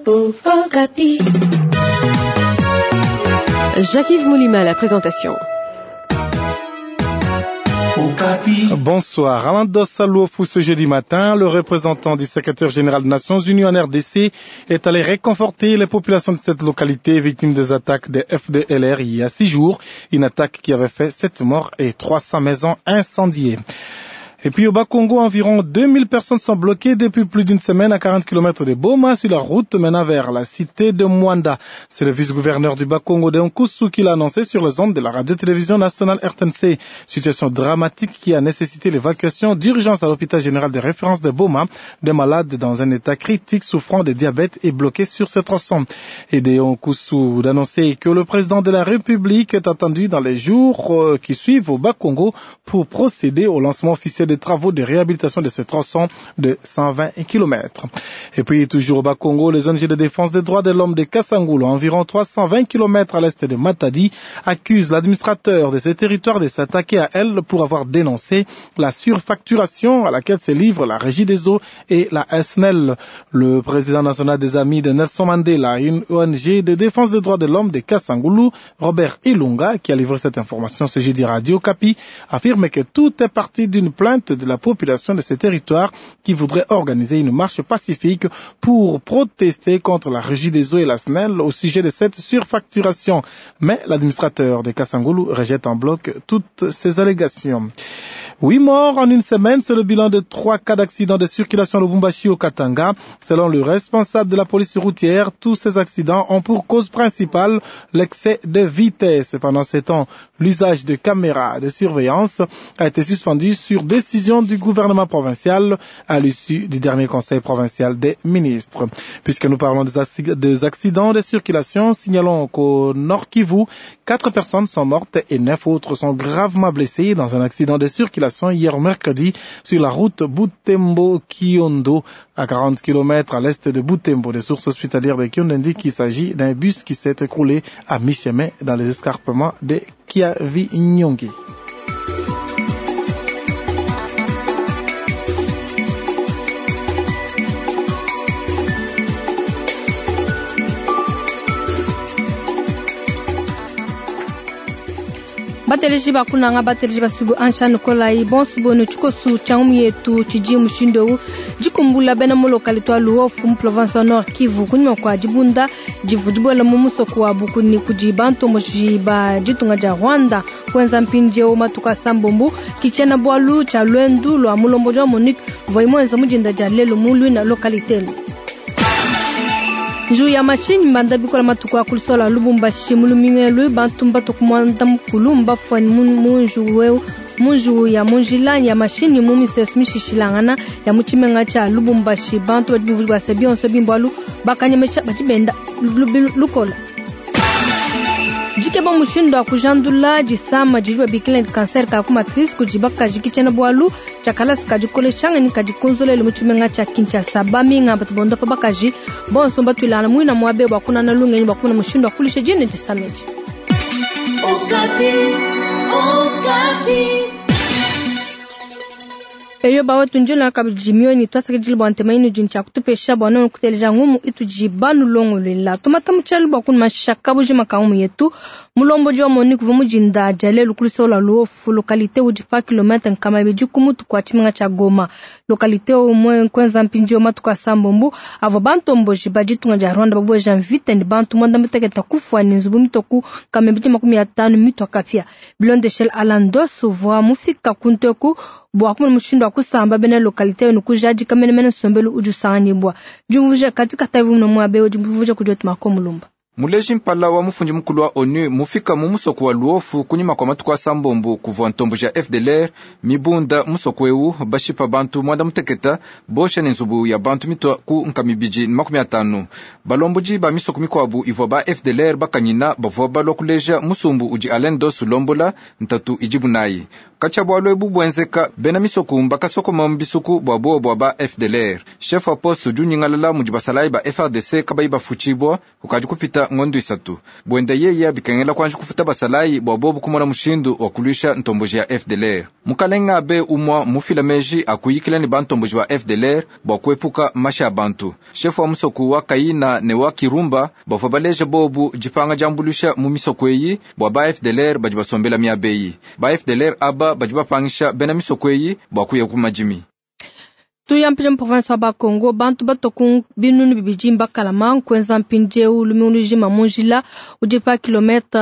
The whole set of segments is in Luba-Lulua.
Okapi. Jacques-Yves Moulima à la présentation. Bonsoir. Alain Dossa Luofu, ce jeudi matin, le représentant du secrétaire général des Nations Unies en RDC est allé réconforter les populations de cette localité victimes des attaques des FDLR il y a 6 jours. Une attaque qui avait fait 7 morts et 300 maisons incendiées. Et puis au Bas-Congo, environ 2000 personnes sont bloquées depuis plus d'une semaine à 40 km de Boma sur la route menant vers la cité de Mwanda. C'est le vice-gouverneur du Bas-Congo de Nkusu qui l'a annoncé sur les ondes de la radio-télévision nationale RTNC. Situation dramatique qui a nécessité l'évacuation d'urgence à l'hôpital général de référence de Boma des malades dans un état critique souffrant de diabète et bloqués sur ce tronçon. Et de Nkusu d'annoncer que le président de la République est attendu dans les jours qui suivent au Bas-Congo pour procéder au lancement officiel des travaux de réhabilitation de ce tronçon de 120 km. Et puis, toujours au Bas-Congo, les ONG de défense des droits de l'homme de Kassangoulou, environ 320 km à l'est de Matadi, accusent l'administrateur de ce territoire de s'attaquer à elle pour avoir dénoncé la surfacturation à laquelle se livrent la Régie des eaux et la SNEL. Le président national des Amis de Nelson Mandela, une ONG de défense des droits de l'homme de Kassangoulou, Robert Ilunga, qui a livré cette information ce jeudi Radio Okapi, affirme que tout est parti d'une plainte de la population de ce territoire qui voudrait organiser une marche pacifique pour protester contre la régie des eaux et la SNEL au sujet de cette surfacturation. Mais l'administrateur de Kassangoulou rejette en bloc toutes ces allégations. 8 morts en une semaine, c'est le bilan de 3 cas d'accidents de circulation à Lubumbashi au Katanga. Selon le responsable de la police routière, tous ces accidents ont pour cause principale l'excès de vitesse. Pendant ces temps, l'usage de caméras de surveillance a été suspendu sur décision du gouvernement provincial à l'issue du dernier conseil provincial des ministres. Puisque nous parlons des accidents de circulation, signalons qu'au Nord Kivu, 4 personnes sont mortes et 9 autres sont gravement blessées dans un accident de circulation hier mercredi sur la route Butembo-Kiondo à 40 km à l'est de Butembo. Des sources hospitalières de Kiondo indiquent qu'il s'agit d'un bus qui s'est écroulé à mi-chemin dans les escarpements de Kiavinyongi. Bateleji bakunanga bateleji basubu ansha nikolai bonsu bonu tshikosu tshia ngumu yetu tshidi mushindu dikumbula bena mu localité wa Luofu mu province wa Nord Kivu kunyuma kua dibunda divu dibuela mu musoko wa Bukuni kudi bantomboji ba ditunga dia Rwanda kuenza mpindieu matuku asambombo kitshiena bualu tshia luendu lua mulombodi wa MONUC voi muenza mudinda dia lelu mu luina localité elu. Nju ya mashini mbanda bikola matuku akulisola Lubumbashi mulumingu bantu mbatu kumwanda mukulu mbafwani munju weu munju ya munjila ya mashini mu misesu mishishilangana ya mutshimenga tshia Lubumbashi bantu badi buvuli bua se bionso bimbualu bakanyemesha badi benda lukola. Dikeba mushindu wa kujandula disama didi babikila ne cancer ka ku matrice kudi bakaji kitshiena bualu tshia kalasa kadikoleshanga ne kadikonzolele mu tshimenga tshia Kinshasa. Baminga batu bondopa bakaji bonso batuilana muina muabe bua kunana lungenyi bua kumona mushindu wa kulisha dine disama edi. Okapi, Okapi. Eyo bawe tunjula kabidi mioni twasakidile bua ntema inu dini tshia kutupesha bua nonu kuteleja ngumu itudi banulongolola. Tumata mutshialu bua kunumasha kabujima ka ngumu yetu. Mulombodi wa MONUC uvua mudinda dia lelu ku lusolo lua Luofu, localité udi pa kilomètre nkama ibidi ku mutu kua tshimenga tshia Goma. Localité umue kuenza mpindieu matuku asambombo avua bantomboji ba ditunga dia Rwanda babueja mvita ne bantu muanda mutekete kufua ne nzubu mitoku nkama ibidi makumi atanu mitua kapia. Bilondeshele Alain Doss uvua mufika kunteku bua kumona mushindu wa kusamba bena localité ne kujadika menemene nsombelu udi usanganyibua. Diumvuija katika tavi muno muabe udi mvuija kudi wetu Marco Mulumba. Muleji mpala wa mufundi mukulu wa ONU mufika mu musoko wa Luofu kunyima kwa matuku asambombo kuvua ntombo ja FDLR mibunda musoko eu bashipa bantu mwanda muteketa bosha ne nzubu ya bantu mitwa ku nkamibidi 50. Balomboji ba misoko mikwabu ivua ba FDLR bakanyina bavua balua kuleja musumbu udi Alain Doss ulombola ntatu idibu nayi. Katshia bualu ebu buenzeka bena misoko mbakasokoma mu bisuku bua bowa bua ba FDLR. Chef wa poste udi unyingalala mudi basalayi ba FARDC kabayi bafutshibua kukadi kupita. kupita ngondu isatu. Buenda yeya bikengela kuanji kufuta basalayi bua bobu kumona mushindu wa kuluisha ntomboji ya FDLR. Mukalenga abe umua mufila meji akuyikila ne bantomboji ba FDLR bua kuepuka mashi a bantu. Shefu wa musoku wa Kayina ne wa Kirumba bavua baleja bobu dipanga diambuluisha mu misoko eyi bua ba FDLR badi basombela miaba eyi. Ba FDLR aba badi bapangisha bena misoko eyi bua kuya ku madimi. Tuya mpindieu mu province wa Bakongo, bantu batua ku binunu bibidi mbakalama nkuenza mpindieu lumingu lujima mu njila udi pa kilomètre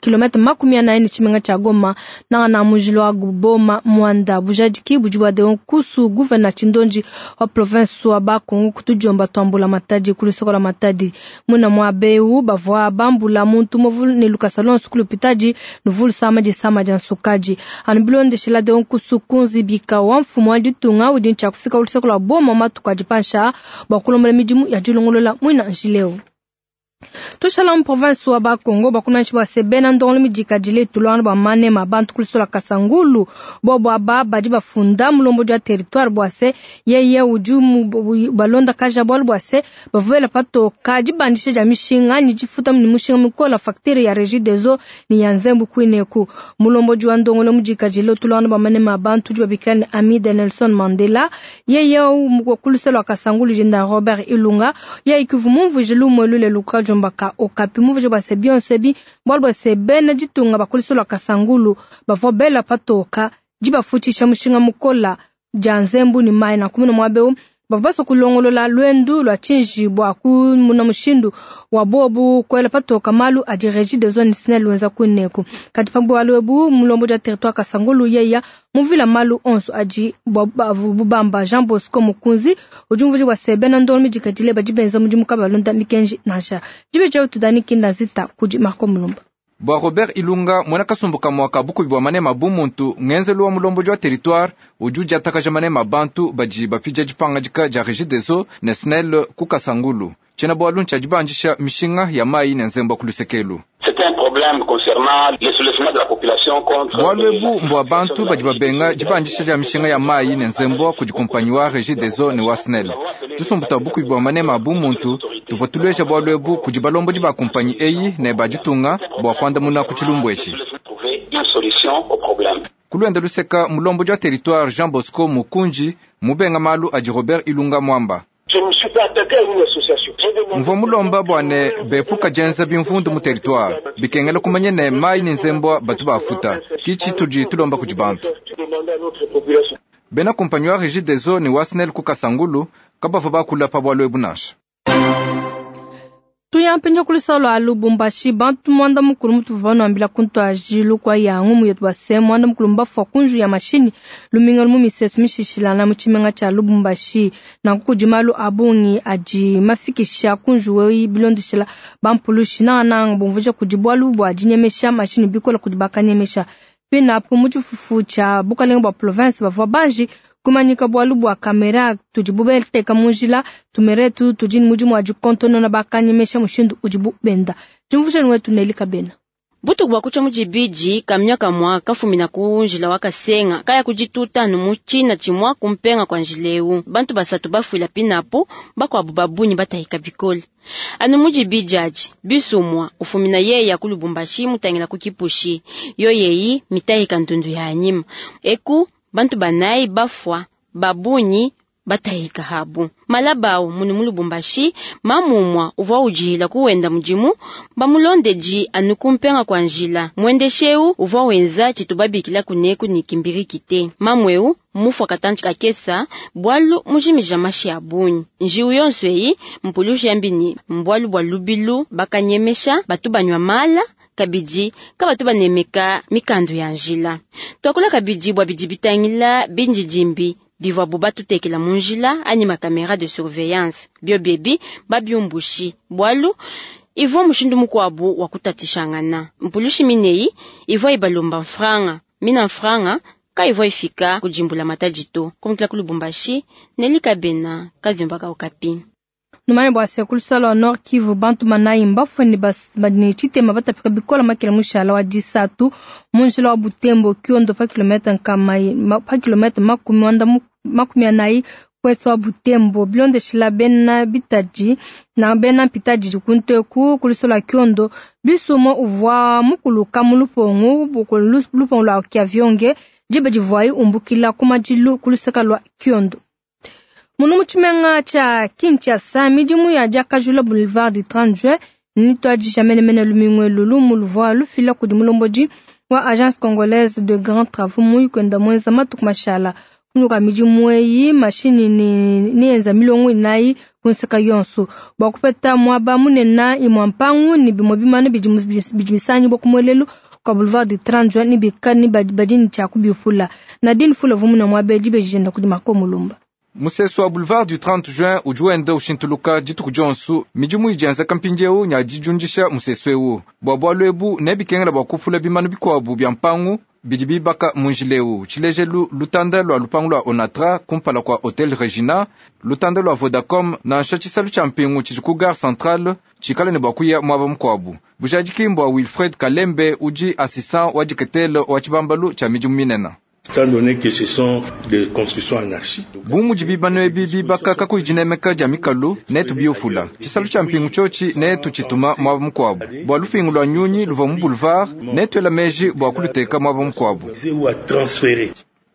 kilomètre 40 ne tshimenga tshia Goma, nangana mu njila wa Boma Muanda. Bujadiki budi bua Deon Kusu, gouverneur Tshindonji wa province wa Bakongo, kutudiomba tuambula Matadi ku lusoko lua Matadi. Muna muaba eu bavua bambula muntu muvu ne lukasa lonso ku lupitadi luvulu sama disama dia nsukadi. Anu bilondeshela Deon Kusu kunzibika wa mfumu wa ditunga udi ntshia kufika lusoko lua Boma matuku adi pansha bua kulombola midimu ya dilongolola muina njileu. Tushala mu province wa Bakongo, bakunanshi bua se bena ndongolo midikadile tulwana bua manema bantu kulisola Kasangulu bobo aba badi bafunda mulombodi wa territoire bua se yeye udi balonda kaja bualu bua se bavuela patoka dibandisha dia mishinga ni difuta ni mushinga mikola facture ya Régie des eaux ni ya nzembu kwineku. Mulombodi wa ndongolo mudikadile tulwana bua manema bantu udi babikila ni Amida Nelson Mandela, yeye kulisola Kasangulu jenda Robert Ilunga yeye kuvumumvuje lumwe lule luka jomba ka Okapi muvuje bua se bionso ebi bualu bua se bena ditunga bakulisola Kasangulu bavua bela patoka dibafutshisha mushinga mukola dia nzembu ni mai na kumuna muaba eu bavua basua kulongolola lwendu lua tshinji bua kumuna mushindu wa bobu kuela patoka malu adi Régie des eaux SNEL wenza kuneku. Kadi pa bualu ebu mulombodi wa territoire Kasangulu yeya muvila malu onso adi bubamba Jean Bosco Mukunzi udi umvuija bua se bena ndongo midikadile badi benza mudimu kabalonda mikenji nansha. Dibe dia tudani kinda zita kudi Marco Mulumba. Bua Robert Ilunga mwana kasumbuka mwaka bukubi bua manema bumuntu ngenzelu wa mulombodi wa territoire udi udiatakaja manema bantu badi bapija dipangadika dia Régie des eaux ne SNEL ku Kasangulu. Tshiena bualu ntshia dibandisha mishinga ya mayi ne nzembu ku lusekelu. C'est un problème concernant le soulèvement de la population contre bualu ebu mbua bantu badi babenga dibandisha dia mishinga ya mayi ne nzembu kudi kompanyi wa Régie des eaux ne wa SNEL. Tusumbuta bukubi bua manema bumuntu tuvua tuleja bualu ebu kudi balombodi ba kompanyi eyi ne baditunga bua kuandamuna ku tshilumbu etshi. Une solution au problème. Kulwenda luseka mulombodi wa territoire Jean Bosco Mukunji mubenga malu adi Robert Ilunga Mwamba. Je ne me suis pas attaqué à une association. Mvua mulomba bua ne bepuka dienza bimvundu mu territoire bikengela kumanya ne mayi ne nzembwa batu bafuta kichi tudi tulomba kudi bantu. Bena kompanyi wa Régie des eaux ne wa SNEL ku Kasangulu kabavua bakula pa bualu ebu nansha. Tuya mpindieu kulusalo lua Lubumbashi, bantu mwanda mukulu mutu vanuambila kuntu ajilu kwa yangu muyetu base mwanda mukulu mbafua kunju ya mashini luminga lumu misesu mishishilana mu tshimenga tshia Lubumbashi. Nanku kudi malu a bungi adi mafikisha kunju weyi bilondeshela bampulushi nangananga bumvuija kudi bualu bua dinyemesha mashini bikola kudi bakanyemesha. Pinapu mu tshifufu tshia bukalenge bua province bavua banji kumanyika bualu bua kamera tudibu beteka mu njila tumeretu tudi ni mudimu wa dikontonona bakanyemesha mushindu udibu benda. Jumvusheni wetu Neli Kabena. Butuku bua kucha mujibiji kamya kamwa kafumina ku njila wakasenga kaya kujituta nu muchina chimwa kumpenga kwa njileu bantu basatu bafuila pinapo bakwabu babunyi batahika bikole anu mujibiji aji bisumwa ufumina yeya ku Lubumbashi mutangila ku Kipushi yo yeyi mitahika ntundu ya anyima eku bantu banayi bafwa babunyi batahika habu malabao munu mu Lubumbashi mamumwa uvua ujihila kuwenda mudimu bamulondeji anu kumpenga kwa njila mwendesheu uvua wenza tshitubabikila kuneku ni kimbiriki te mamweu mufwa katanji kakesa bwalu mujimija mashi ya bunyi njiu yonso eyi mpulushi yambini mbwalu bwa lubilu bakanyemesha batu banywa mala kabidi kabatu banemeka mikandu ya njila twakula kabidi bwa bidi bitangila binjijimbi bivua bo batutekela mu njila anyi makamera de surveillance bio bebi babiumbushi bwalu ivua mushindu mukuabu wa kutatishangana mpulushi mineyi ivua ibalomba mfranga mina mfranga ka ivua ifika kujimbula matadito kumutila ku Lubumbashi Nelika Bena kazimbaka Okapi. Numanye bua se kulusalo wa Nord Kivu bantu manayi mbafue ne tshitema batapika bikola makela mushala wa disatu mu njila wa Butembo Kiondo pa kilomètre nkama pa kilomètre makumi wanda makumi anayi Ouest wa Butembo bilondeshila bena bitadi na bena mpitadi kunteku kulisola kiondo bisumo uvwa mukuluka mu lupongo lupongo lwa Kiavionge diba divuayi umbukila ku madilu kuluseka lwa kiondo. Munu mu tshimenga tshia Kinshasa midimu ya diakajula boulevard du 30 juin nituadija menemene lumingu elu lumu luvua lufila kudi mulombodi wa agence congolaise de grands travaux muyi kwenda mwenza matuku mashala kunyuka midimu eyi mashini ni enza milongo inayi kunseka yonso bua kupeta muaba munene imua mpangu ni bimue bimana bidi bisangibua ku muelelu kwa boulevard du 30 juin ni bika ni badi tshia kubifula Nadine Fula vumuna muaba edi bejenda kudi Marco Mulumba. Musesu wa boulevard du 30 juin udi wenda ushintuluka dituku dionsu midimu idianza kampindiewu nya dijundisha musesu ewu bua bualu ebu nebikengela bua kufula bimanu bikuabu bia mpangu bidi bibaka munjileu tshilejelu lutanda lua lupangu lua Onatra kumpala kua Hotel Regina, lutanda lua Vodacom nansha tshisalu tshia mpingu tshidi ku gare centrale tshikale ne bua kuya muaba mukuabu. Bujadiki mbua Wilfred Kalembe udi assistant wa diketelo wa tshibambalu tshia midimu minene. Bu mudi bibano ebi bibaka kakuyi dinemeka dia mikalu netu biufula tshisalu tshia mpingu tshiotshi netu tshituma muaba mukuabu bua lupingu lua nyunyi luvua mu boulevard netuela meji bua kuluteka muaba mukuabu.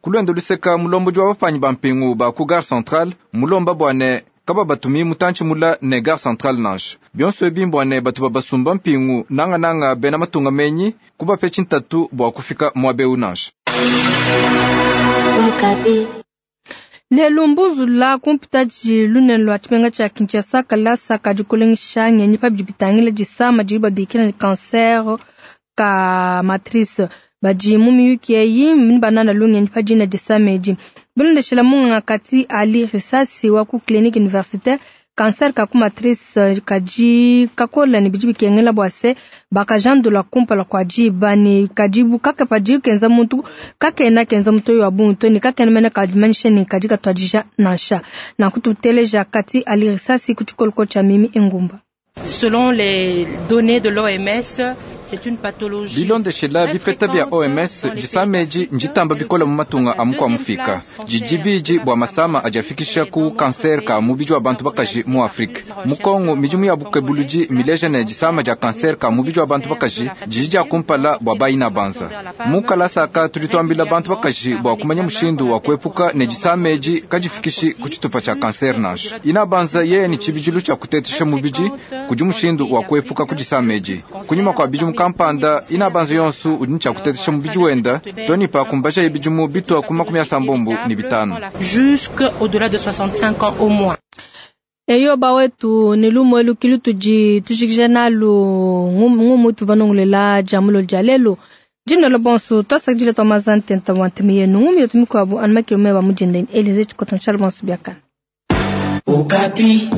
Kulwenda luseka mulombodi wa bapanyi ba mpingu ba ku gare centrale mulomba bua ne kaba batumi mutantshi mula ne gare centrale nansha bionso ebi mbua ne batu babasumba mpingu nangananga bena matunga menyi kubape tshintatu bua kufika muaba eu nansha. Lelo mbuzula kumpitaji lunene lwa tshimenga tshia Kinshasa kalasa kadi kulengesha ngenyi pa bidi bitangila disama didi babikila ne cancer ka matrice badi mu miyuki eyi ni banana lungenyi pa dina disama edi bilondeshela munganga kati Ali Risasi wa ku clinique universitaire cancer ka ku matrice kadi kakola ne bidi bikengela bua se bakajandula kumpala kua diba ne kadi bukaka padi kenza muntu kakena kenza muntu wa buntu ne kakena mena kadimanyisha ne kadi katuadija nansha nakututeleja kati Ali Risasi ku tshikoloko tshia Mimi Engumba. Selon les données de l'OMS, c'est une pathologie. Bilondeshela bipeta bia OMS disama edi nditamba bikola mu matunga a mukua mufika didi bidi bua masama adi afikisha ku kanser ka mubidi wa bantu bakaji mu Afrika. Mu Kongo midimu ya bukebuludi mileja ne disama dia kanser ka mubidi wa bantu bakaji didi dia kumpala bua bayina banza. Mu kalasa tudi tuambila bantu bakaji bua kumanya mushindu wa kuepuka ne disama edi kadifikishi ku tshitupa tshia kanser nansha. Ina banza yeye ni tshibidilu tshia kutetesha mubidi kudi mushindu wa kuepuka ku disama edi. Kunyima kua bidimu kampanda ina banza yonsu udi ni tshia kutetesha mubidi wenda toni pa kumbaja ibidimu bitwa ku 75. Jusque au-delà de 65 ans au moins. Eyo bawetu ni lumu elu kilu tudi tujikija nalu ngumu tuvanongolela jamulo dia lelu dina lo bonso twasakidila twa mazante nta wantemi yenu ngumu yetu mikuabu anu makilo meba mudindeni Elize Chikoto nshala bonso biakana. Okapi.